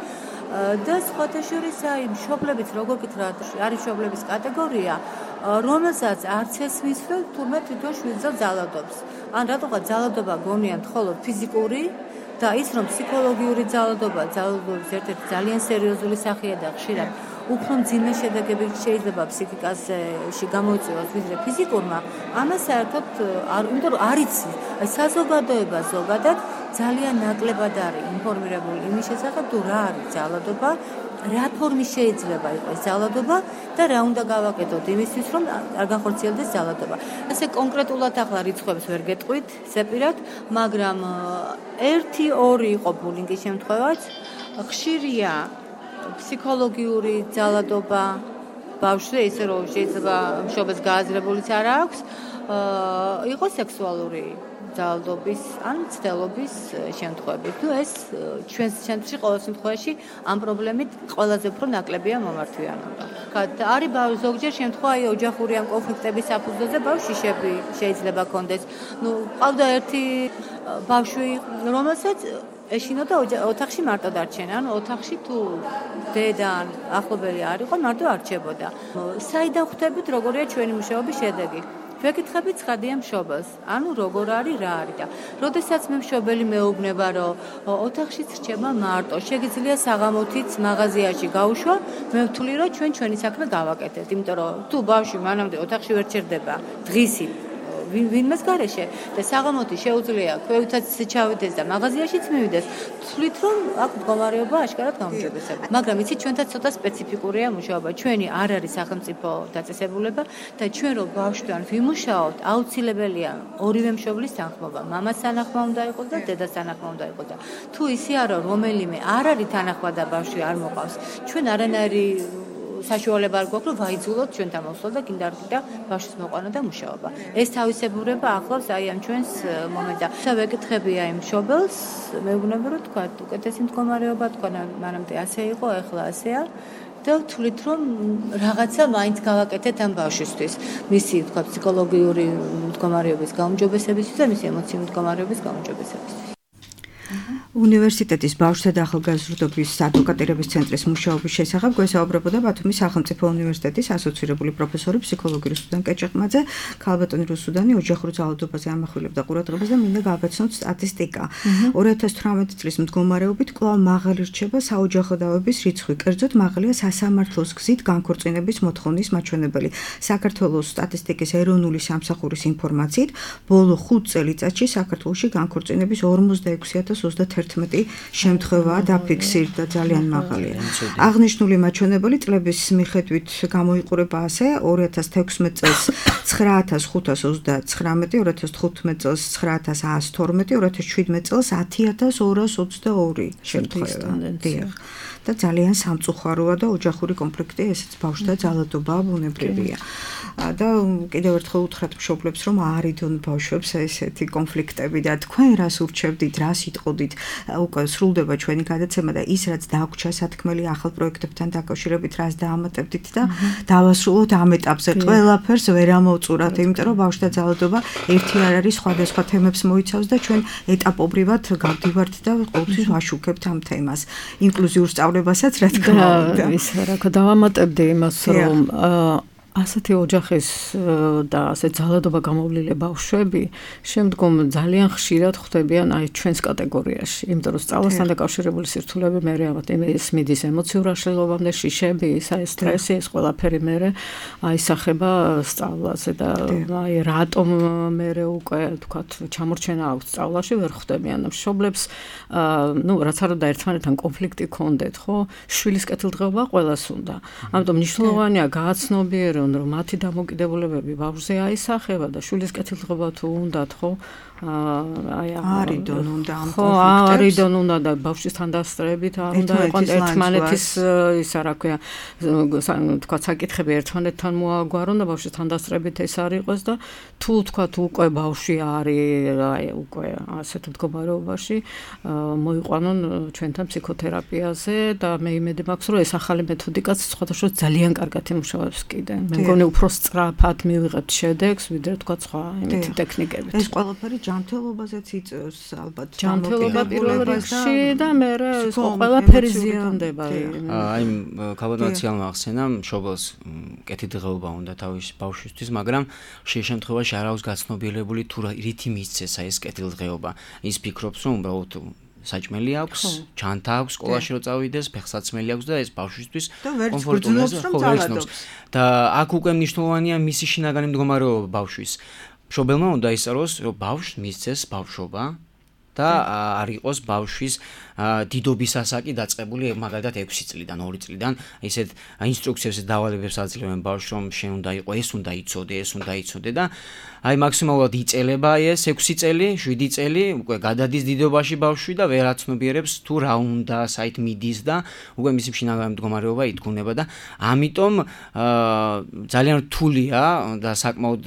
[SPEAKER 6] და სხვათა შორის აი მშობლებიც როგორ გითხრათ, არის მშობლების კატეგორია, რომელსაც არც ესმის, რომ თურმე თვითონ შვილზე ძალადობს. ან რატოღაც ძალადობა გონიან მხოლოდ ფიზიკური და ის რომ ფსიქოლოგიური ძალადობის ერთ-ერთი ძალიან სერიოზული სახეა და ხშირად უფრო მძიმე შედეგები შეიძლება ფსიქიკაში გამოიწვიოს ვიდრე ფიზიკურმა, ამას საერთოდ არ, იმიტომ რომ არ იცის. აი საზოგადოება ზოგადად ძალიან ნაკლებად არის ინფორმირებული იმის შესახებ, თუ რა არის ძალადობა, რა ფორმის შეიძლება იყოს ძალადობა და რა უნდა გავაკეთოთ იმისთვის, რომ არ განხორციელდეს ძალადობა. ასე კონკრეტულად ახლა რიცხვებს ვერ გეტყვით, ზეპირად, მაგრამ 1-2 იყო ბულინგის შემთხვევაც, ხშირია ფსიქოლოგიური ძალადობა ბავშვზე, ისე რომ შეიძლება მშობელს გააზრებულიც არ აქვს, იყო სექსუალური ძალადობის ან ცდელობის შემთხვევები. თუ ეს ჩვენს ცენტრში ყოველ შემთხვევაში ამ პრობლემით ყველაზე უფრო ნაკლებია მომართვიანობა. არის ზოგჯერ შემთხვევა აი ოჯახური ან კონფლიქტების საფუძველზე ბავშვიშები შეიძლება კონდეს. ნუ ყავდა ერთი ბავშვი, რომელსაც ეშინოდა ოთახში მარტო დარჩენა, ანუ ოთახში თუ დედა ან ახლობელი არ იყო, მარტო არჩებოდა. საიდან ხვდებით როგორია ჩვენი მუშაობის შედეგი? ვეკითხებით ცხადია მშობელს, ანუ როგორ არის, რა არის და როდესაც მე მშობელი მეუბნება, რომ ოთახშიც რჩება მარტო, შეგიძლია საღამოთიც მაღაზიაში გაუშვა, მე ვთვლი, რომ ჩვენი საქმე გავაკეთებთ, იმიტომ რომ თუ ბავშვი მანამდე ოთახში ვერ ჩერდება, დღისით ვინმეს გარეშე და საღამოთი შეუძლია ქვევითაც ჩავიდეს და მაღაზიაშიც მივიდეს, ვთვლით, რომ აქ მდგომარეობა აშკარად გაუმჯობესება. მაგრამ იცით, ჩვენთან ცოტა სპეციფიკურია მუშაობა. ჩვენი არ არის სახელმწიფო დაწესებულება და ჩვენ რო ბავშვთან ვიმუშაობთ, აუცილებელია ორივე მშობლის თანხმობა. მამას თანახმა უნდა იყოს და დედას თანახმა უნდა იყოს და თუ ისე არა, რომელიმე არ არის თანახმა და ბავშვი არ მოყავს, ჩვენ არანაირი საშუალება არ გვაქვს, რომ ვაიძულოთ ჩვენთან მოსვლა და კიდე ბავშვის მოყვანა და მუშაობა. ეს თავისებურება ახლავს აი ამ ჩვენს მომენტს. ვეკითხებია იმ მშობელს, მეუბნება რომ თქვა უკეთესი მდგომარეობა, თქვა მანამდე ასე იყო, ახლა ასეა. და ვთვლით რომ რაღაცა მაინც გავაკეთეთ ამ ბავშვისთვის, მისი თქვა ფსიქოლოგიური მდგომარეობის გაუმჯობესებისთვის და მისი ემოციური მდგომარეობის გაუმჯობესებისთვის.
[SPEAKER 2] უნივერსიტეტის ბავშვთა და ახალგაზრდობის ადვოკატირების ცენტრის მუშაობის შესახებ გვესაუბრებოდა ბათუმის სახელმწიფო უნივერსიტეტის ასოცირებული პროფესორი ფსიქოლოგი რუსუდან კეჭეყმაძე. ქალბატონი რუსუდანი ოჯახურ ძალადობაზე ამახვილებდა ყურადღებას და მინდა გავაცნოთ სტატისტიკა. 2018 წლის მდგომარეობით კვლავ მაღალი რჩება საოჯახო დავების რიცხვი, კერძოდ მაღალია სასამართლოს გზით განქორწინების მოთხოვნის მაჩვენებელი. საქართველოს სტატისტიკის ეროვნული სამსახურის ინფორმაციით, ბოლო 5 წელიწადში საქართველოში განქორწინების 46,031 შემთხვევაა დაფიქსირდა, ძალიან მაღალია. აღნიშნული მაჩვენებელი წლების მიხედვით გამოიყურება ასე: 2016 წელს 9529, 2015 წელს 9112, 2017 წელს 10222 შემთხვევა. და ძალიან სამწუხაროა და ოჯახური კონფლიქტი, ესეც ბავშვთა ძალადობა ბუნებრივია. და კიდევ ერთხელ უთხრათ მშობლებს, რომ არიდონ ბავშვებს ესეთი კონფლიქტები და თქვენ რას ურჩევდით, რას იტყოდით, უკვე სრულდება ჩვენი გადაცემა და ის რაც დაგვჭა სათქმელი ახალ პროექტებთან დაკავშირებით, რას დაამატებდით და დავასრულოთ ამ ეტაპზე. ყველაფერს ვერ ამოვწურათ, იმიტომ რომ ბავშვთა ძალადობა ერთი არ არის, სხვადასხვა თემებს მოიცავს და ჩვენ ეტაპობრივად გავდივართ და ყოველთვის ვაშუქებთ ამ თემას. ინკლუზიურ სწავლებასაც რა თქმა უნდა.
[SPEAKER 4] ისე რა თქმა დავამატებდი იმას, რომ ასეთი ოჯახის და ასე ძალადობა გამოვლილი ბავშვები შემდგომ ძალიან ხშირად ხვდებიან აი ჩვენს კატეგორიაში, იმიტომ რომ სწავლასთან დაკავშირებული სირთულეები მე ამათ ის მიდის ემოციურ აშლილობამდე, შიშები, აი სტრესი, ეს ყველაფერი მე აისახება სწავლაზე და აი რატომ მე უკვე თქვათ ჩამორჩენა აქვს სწავლაში ვერ ხვდებიან მშობლებს, რაც არ უნდა ერთმანეთთან კონფლიქტი ქონდეთ, ხო? შვილის კეთილდღეობა ყველას უნდა. ამიტომ მნიშვნელოვანია გააცნობიერონ რომ მათი დამოკიდებულებები ბავშვზე აისახება და შვილის კეთილდღეობა თუ უნდათ, ხო?
[SPEAKER 2] არიდონ უნდა ამ
[SPEAKER 4] კონფლიქტებს. ხო, არიდონ უნდა და ბავშვის თანდასწრებით არ უნდა იყოს ერთმანეთის ისა რა ქვია, თქვა საკითხები ერთმანეთთან მოაგვარონ და ბავშვის თანდასწრებით ეს არ იყოს და თუ თქვა უკვე ბავშვი არის აი უკვე ასეთ მდგომარეობაში მოიყვანონ ჩვენთან ფსიქოთერაპიაზე და მე იმედი მაქვს რომ ეს ახალი მეთოდიკაც სხვადასხვა ძალიან კარგად იმუშავებს კიდე. მე მგონი უფრო სწრაფად მივიღებთ შედეგს ვიდრე თქვა სხვა იმითი ტექნიკებით.
[SPEAKER 2] ეს ყველაფერი ჯანმრთელობაზეც იწევს ალბათ.
[SPEAKER 4] ჯანმრთელობა პირველ რიგში და მე ყველაფერი ზიანდება.
[SPEAKER 5] აი ქალბატონმა ახსენა მშობელს კეთილდღეობა უნდა თავის ბავშვისთვის, მაგრამ შე შემთხვევაში არ აქვს გაცნობიერებული თუ რითი მისცეს ეს კეთილდღეობა. ის ფიქრობს რომ უბრალოდ საჭმელი აქვს, ჩანთა აქვს, სკოლაში რო წავიდეს, ფეხსაცმელი აქვს და ეს ბავშვისთვის
[SPEAKER 2] კომფორტულია
[SPEAKER 5] და აქ უკვე მნიშვნელოვანია მისი შინაგანი მდგომარეობა ბავშვის. მშობელმა უნდა ისწავლოს, რომ ბავშვს მისცეს ბავშვობა და არ იყოს ბავშვის დიდობის ასაკი დაწყებული მაგალითად 6 წლიდან, 2 წლიდან, ისეთ ინსტრუქციებს დავალებებს აძლევენ ბავშვს, რომ შენ უნდა იყო, ეს უნდა იცოდე, ეს უნდა იცოდე და აი მაქსიმალურად იწელება ეს 6 წელი, 7 წელი, უკვე გადადის დიდობაში ბავშვი და ვერ აცნობიერებს თუ რა უნდა, საით მიდის და უკვე მისი შინაგანი მდგომარეობა ითქუნება და ამიტომ ძალიან რთულია და საკმაოდ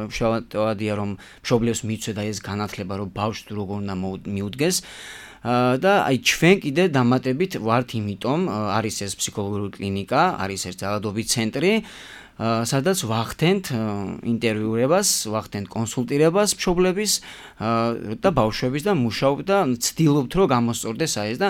[SPEAKER 5] მშრალადია რომ მშობლებს მიცვე და ეს განათლება რომ ბავშვს როგორ უნდა მიუდგეს და აი ჩვენ კიდე დამატებით ვართ იმიტომ არის ეს ფსიქოლოგიური კლინიკა, არის ეს ძალადობის ცენტრი, სადაც ვახდენთ ინტერვიურებას, ვახდენთ კონსულტირებას მშობლების და ბავშვების და მუშაობ და ცდილობთ რომ გამოსწორდეს აი ეს და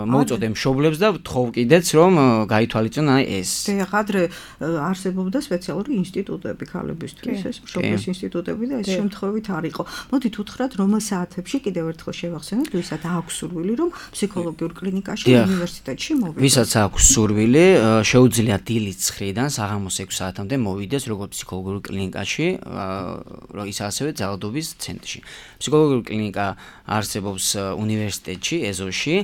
[SPEAKER 5] მოუწოდე მშობლებს და ვთხოვ კიდეც რომ გაითვალისწინონ აი ეს.
[SPEAKER 2] ადრე არსებობდა სპეციალური ინსტიტუტები ქალებისთვის, ეს მშობლის ინსტიტუტები და ეს შემთხვევით არ იყო. მოდით უთხრათ რომელ საათებში კიდევ ერთხელ შევახსენოთ, ვისაც აქვს სურვილი რომ ფსიქოლოგიურ კლინიკაში უნივერსიტეტში მოვიდეს.
[SPEAKER 5] ვისაც აქვს სურვილი, შეუძლია დილის 9-დან საღამოს 6 საათამდე მოვიდეს როგორც ფსიქოლოგიურ კლინიკაში, ის ასევე ძალადობის ცენტრში. ფსიქოლოგიური კლინიკა არსებობს უნივერსიტეტში, ეზოში,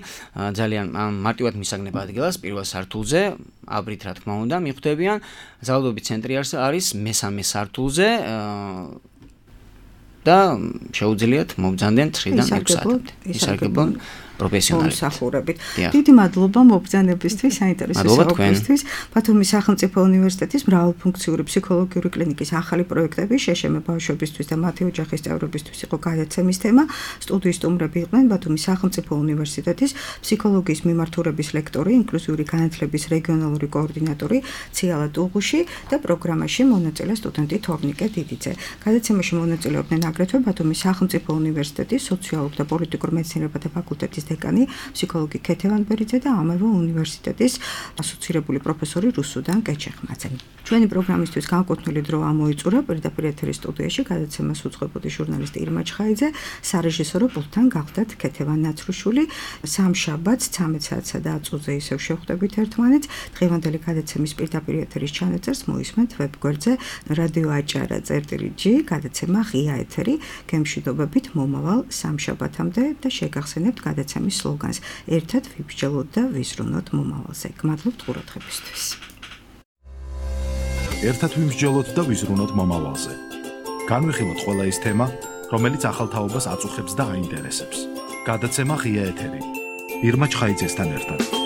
[SPEAKER 5] ძალიან მარტივად მისაგნება ადგილას პირველ სართულზე, აბრით რა თქმა უნდა, მიხვდებიან. ძალადობის ცენტრი არის მესამე სართულზე და შეუძლიათ მობრძანდნენ 9-დან 6 საათამდე. ისარგებლონ პროფესიონალებით.
[SPEAKER 2] დიდი მადლობა მობრძანებისთვის, საინტერესო საუბრისთვის. ბათუმის სახელმწიფო უნივერსიტეტის მრავალფუნქციური ფსიქოლოგიური კლინიკის ახალი პროექტები შეშემა ბავშვებისთვის და მათი ოჯახის წევრებისთვის იყო გადაცემის თემა. სტუდიის სტუმრები იყვნენ ბათუმის სახელმწიფო უნივერსიტეტის ფსიქოლოგიის მიმართულების ლექტორი, ინკლუზიური განათლების რეგიონალური კოორდინატორი ციალა ტუღუში და პროგრამაში მონაწილე სტუდენტი თორნიკე დიდიძე. გადაცემაში მონაწილეობდნენ აგრეთვე ბათუმის სახელმწიფო უნივერსიტეტის სოციალურ და პოლიტიკურ მეცნიერებათა ფაკულტეტის დეკანი, ფსიქოლოგი ქეთე ვანბერიძე და ამავე უნივერსიტეტის ასოცირებული პროფესორი რუსუდან კეჩეხმაძე. ჩვენი პროგრამისთვის განკუთვნილი დრო ამოიწურა პირდაპირ ეთერის სტუდიაში გადაცემას უძღვებოდი ჟურნალისტი ირმა ჩხაიძე, სარეჟისორო პულტთან გავხდათ ქეთევან ნაცრუშვილი. სამშაბათს 13 საათსა და 10 წუთზე ისევ შევხვდებით ერთმანეთს. დღევანდელი გადაცემის პირდაპირ ეთერის ჩანაწერს მოისმენთ ვებგვერდზე რადიო აჭარა.g, გადაცემა ღია ეთერი, გემშვიდობებით მომავალ სამშაბათამდე და შეგახსენებთ გადაცემის სლოგანს: ერთად ვიბრძოლოთ და ვიზრუნოთ მომავალზე. გმადლობთ ყურადღებისთვის.
[SPEAKER 1] ერთად ვიმსჯელოთ და ვიზრუნოთ მომავალზე. განვიხილოთ ყველა ის თემა, რომელიც ახალ თაობას აწუხებს და აინტერესებს. გადაცემა ღია ეთერი. ირმა ჩხაიძესთან ერთად.